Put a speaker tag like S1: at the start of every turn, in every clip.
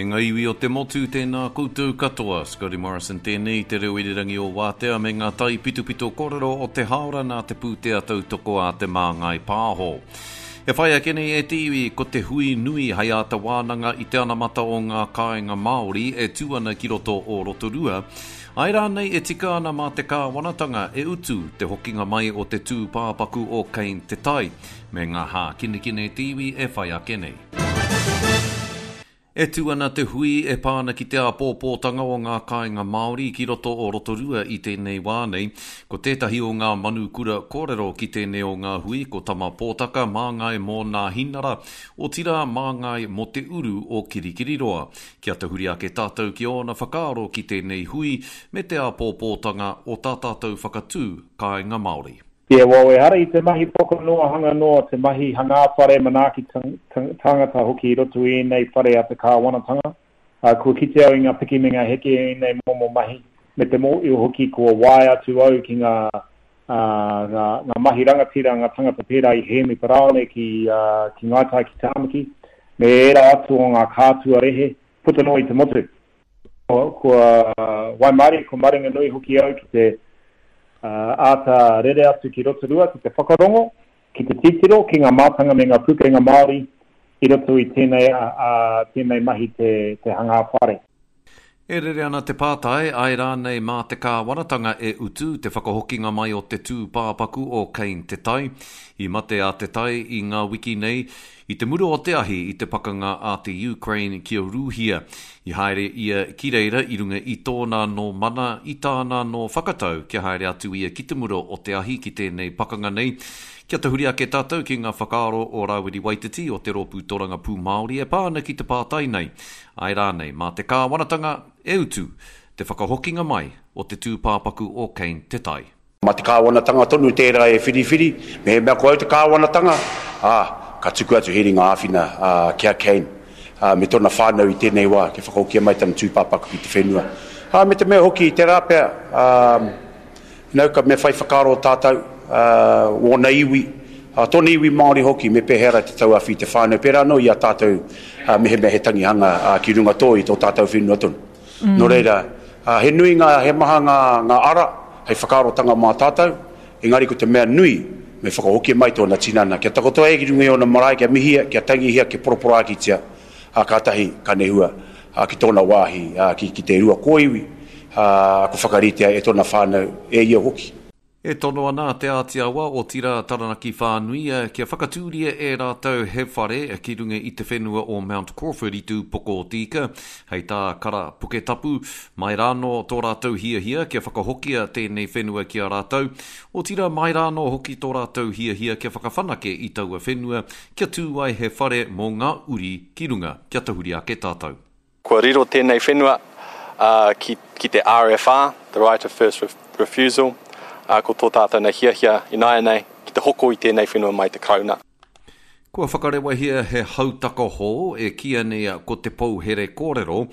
S1: E ngā iwi o te motu, tēnā koutou katoa. Scotty Morrison tēnei, te reo irirangi o Wātea me ngā taipitopito kōrero o te hāora nā te pūtea tautoko a Te Māngai Pāho. E whai ake nei e te iwi, ko te hui nui hei āta wānanga i te anamata o ngā kāinga Māori e tū ana ki roto o Rotorua, āe rānei e tika ana mā te kāwanatanga e utu te hokinga mai o te tūpāpaku o Kane Te Tai me ngā hākinakina e te iwi e whai ake nei. E tū ana te hui e pā ana ki te āpōpōtanga o ngā kāinga Māori ki roto o Rotorua i tēnei wā nei. Ko tētahi o ngā manu kura kōrero ki tēnei o ngā hui ko Tama Pōtaka, māngai mō Nāhinara, otirā māngai mō te uru o Kirikiriroa. Kia tahuri ake tātou ki ōna whakaaro ki tēnei hui me te āpōpōtanga o tā tātou whakatū kāinga Māori.
S2: Yeah, well, ehara i te mahi poko noa, hanga noa, te mahi hangā whare, manaaki tāngata hoki i roto i ēnei whare a te kāwanatanga. Kua kite au i ngā piki me ngā heke i ēnei momo mahi, me te mōhio hoki kua waea atu au ki ngā, ngā, ngā mahi rangatira, ngā tangata pērā i Hēmi Paraone ki, ki Ngāi Tai ki Tāmaki, me ērā atu o ngā kātua rehe puta noa i te motu. Kua waimarie, kua maringanui hoki au ki te āta rere atu ki Rotorua ki te whakarongo, ki te titiro ki ngā mātanga me ngā pūkenga Māori i roto i tēnei, tēnei mahi te, te hangā whare.
S1: E rere ana te pātai, āe rānei mā te kāwanatanga e utu te whakahokinga mai o te tūpāpaku o Kane Te Tai? I mate a Te Tai i ngā wiki nei, I te mura o te ahi i te pakanga a te Ukraine ki a Rūhia, i haere ia ki reira i runga i tōna anō mana, i tāna anō whakatau kia haere atu ia ki te mura o te ahi ki tēnei pakanga nei. Kia tahuri ake tātou ki ngā whakaaro o Rāwiri Waititi o te Rōpū Torangapū Māori e pā ana ki te pātai nei, āe rānei mā te kāwanatanga e utu te whakahokinga mai o te tūpāpaku o Kane Te Tai?
S3: Mā te kāwanatanga tonu tērā e whiriwhiri, mehemea ko au te kāwanatanga, ā, ka tuku atu he ringa āwhina ki a Kane me tōna whānau i tēnei wā kia whakahokia mai tana tūpāpaku ki te whenua. Ā, me te mea hoki, tērā pea, ā, you know, ka me whai whakaaro tātou, ā, wōna iwi, ā, tōna iwi Māori hoki, me pēhea rā te tauāwhi i te whānau, pērā anō i a tātou, ā, mehemea he tangihanga, ā, ki runga tō i tō tātou whenua tonu. Nō reira, he nui ngā, he maha ngā, ngā ara hei whakaarotanga mā tātou, engari ko te mea nui, me whakahokia mai tōna tinana, kia takoto ai ki runga i ōna marae, kia mihia, kia tangihia, kia poroporākitia, ā, kātahi ka nehua, ā, ki tōna wāhi, ā, ki, ki te rua kōiwi, ā, kua whakaritea e tōna whānau, e ia hoki.
S1: E tono ana a Te Āti Awa, otirā Taranaki whānui, kia whakatūria e rātou he whare ki runga i te whenua o Mount Crawford i Te Upoko o Te Ika. Hei tā Kara Puketapu, mai rānō tō rātou hiahia kia whakahokia tēnei whenua ki a rātou, otirā mai rānō hoki tō rātou hiahia kia whakawhanake i taua whenua kia tū ai he whare mō ngā uri ki runga, kia tahuri ake tātou.
S4: Kua riro tēnei whenua ki, ki te RFR, the right of first refusal, ā, ko tō tātou nei hiahia ināianei ki te hoko i tēnei whenua mai te Karauna.
S1: Kua whakarewahia he hautaka hou e kīia nei ko Te Pou Here Kōrero.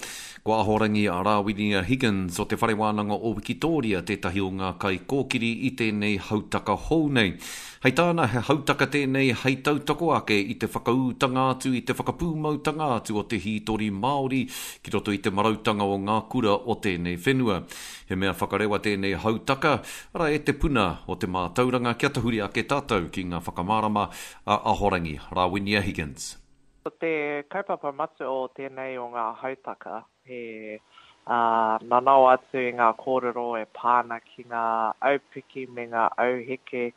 S1: Ko Ahorangi Rāwinia Higgins o Te Whare Wānanga o Wikitōria tētahi o ngā kaikōkiri i tēnei hautaka hou nei. Hei tāna, he hautaka tēnei hei tautoko ake i te whakaūtanga atu, i te whakapūmautanga atu o te hītori Māori ki roto i te marautanga o ngā kura o tēnei whenua. He mea whakarewa tēnei hautaka, arā, e te puna o te mātauranga kia tahuri ake tātou ki ngā whakamārama a Ahorangi Rawinia Higgins.
S5: Ko te kaupapa matua o tēnei o ngā hautaka, he nanao atu i ngā kōrero e pā ana ki ngā aupiki me ngā auheke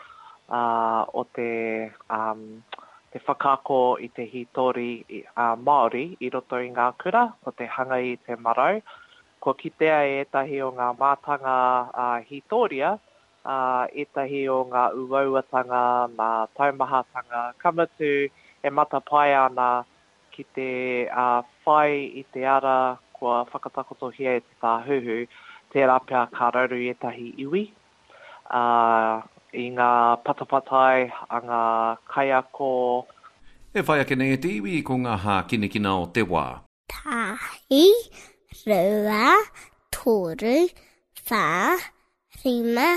S5: o te te whakaako i te hītori Māori i roto i ngā kura, ko te hanga i te marau. Kua kitea e ētahi o ngā mātanga hītōria ētahi o ngā uauatanga, ngā taumahatanga, ka mutu e matapae ana ki te whai i te ara kua whakatakotohia e te Tāhuhu, tērā pea ka raru ētahi iwi i ngā patapatai a ngā kaiako.
S1: E whai ake nei e te iwi ko ngā hākinakina o te wā.
S6: Tahi, rua, toru, wha, rima,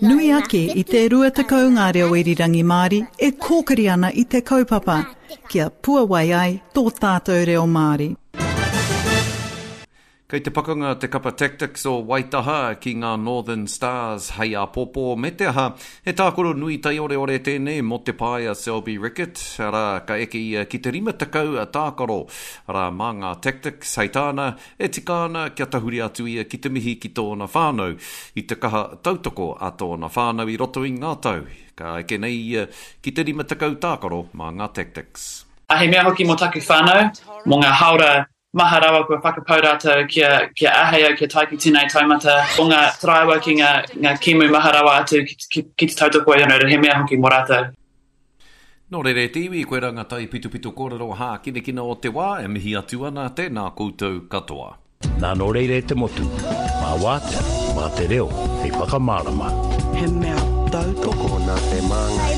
S7: Nui ake i te 20 ngā reo irirangi Māori e kōkiri ana i te kaupapa kia puawai ai tō tātou reo Māori.
S1: Kei te pakanga te kapa Tactix o Waitaha ki ngā Northern Stars hei āpōpō, me te aha, he tākaro nui taioreore tēnei mō te pae a Selby Rickit, arā, ka eke ia ki te 50 tākaro, arā, mā ngā Tactix, hei tāna, e tika ana kia tahuri atu ia ki te mihi ki tōna whānau, i te kaha tautoko a tōna whānau i roto i ngā tau, ka eke nei ia ki te 50 tākaro mā ngā Tactix.
S8: He mea hoki mō taku whānau, mō ngā hāora Maha rawa kua whakapau rātou kia, kia āhei au kia tae ki tēnei taumata o ngā taraiwa ki ngā, ngā kēmu maha rawa atu ki, ki, ki te tautoko i anō, he mea hoki mō rātou.
S1: Nō reira e te iwi, koirā ngā taipitopito kōrero hākinakina o te wā e mihi atu ana, tēnā koutou katoa.
S9: Nā nō reira e te motu, mā Wātea, mā te reo hei whakamārama.
S7: He mea tautoko
S10: nā te Māngai.